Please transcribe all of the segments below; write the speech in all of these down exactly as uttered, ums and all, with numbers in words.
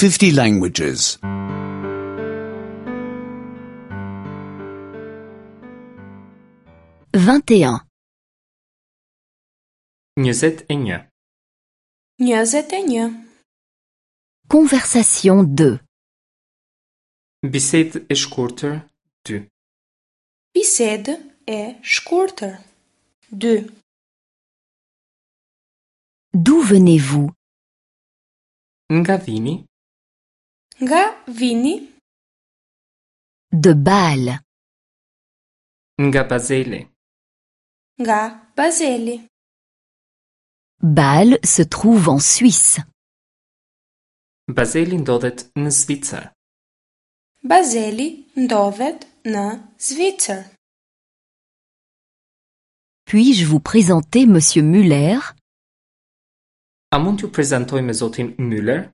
fifty languages. vingt et un, njëzet e një. Njëzet e një. Conversation deux. Bisedë e shkurtër dy. Bisedë e shkurtër. Dy. D'où venez-vous? Nga vini? Nga vini? De Bâle. Nga Bazeli. Nga Bazeli. Bâle se trouve en Suisse. Bazeli ndodhet në Zvicër. Bazeli ndodhet në Zvicër. Puis-je vous présenter Monsieur Müller? A mund t'ju prezantoj me zotin Müller?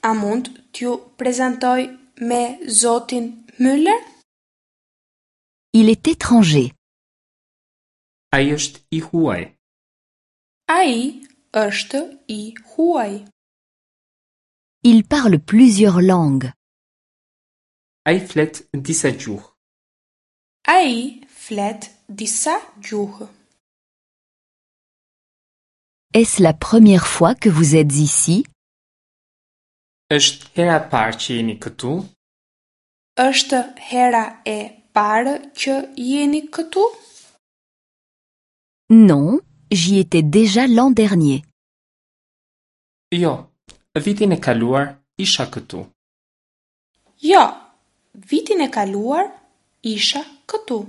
A mund t'ju prezantoj me zotin Müller? Il est étranger. Ai është i huaj. Ai është i huaj. Il parle plusieurs langues. Ai flet disa gjuhë. Ai flet disa gjuhë. Est-ce la première fois que vous êtes ici? Është hera e parë që jeni këtu? Është hera e parë që jeni këtu? Non, j'y étais déjà l'an dernier. Jo, vitin e kaluar isha këtu. Jo, vitin e kaluar isha këtu.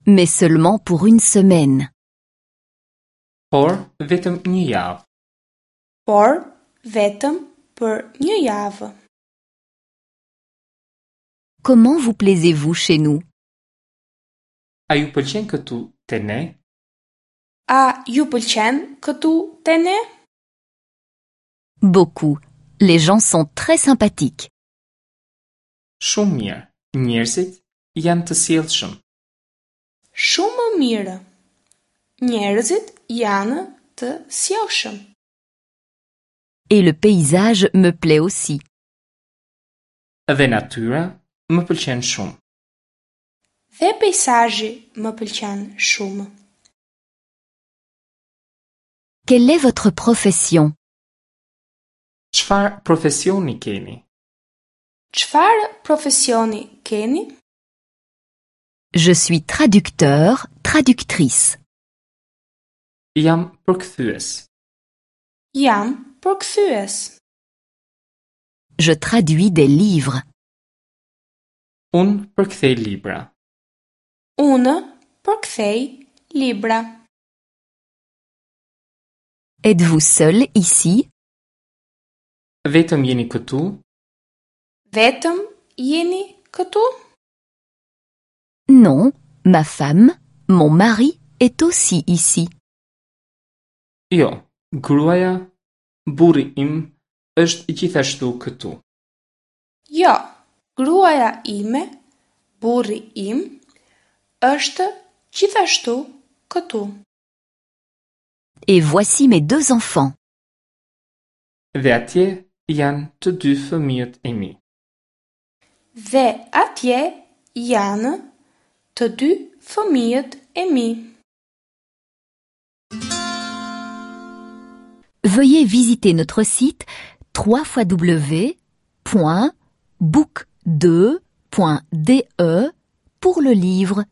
Mais seulement pour une semaine. Por vetëm një javë. Por vetëm për një javë. Comment vous plaisez-vous chez nous? A ju pëlqen këtu te ne? A ju pëlqen këtu te ne? Beaucoup. Les gens sont très sympathiques. Shumë mirë. Njerëzit janë të sjellshëm. Shumë mirë. Njerëzit janë të sjellshëm. Et le paysage me plaît aussi. Dhe natyra më pëlqen shumë. Dhe peizazhi më pëlqen shumë. Quelle est votre profession? Çfarë profesioni keni? Çfarë profesioni keni? Je suis traducteur, traductrice. Jam përkthyes. Jam përkthyes. Je traduis des livres. Unë përkthej libra. Unë përkthej libra. Êtes-vous seul ici? Vetëm jeni këtu? Vetëm jeni këtu? Non, ma femme, mon mari est aussi ici. Jo, gruaja, burri im është gjithashtu këtu. Jo, gruaja ime, burri im është gjithashtu këtu. Et voici mes deux enfants. Dhe atje janë të dy fëmijët e mi. Dhe atje janë të dy fëmijët e mi. Veuillez visiter notre site trois fois w point book deux point d e pour le livre.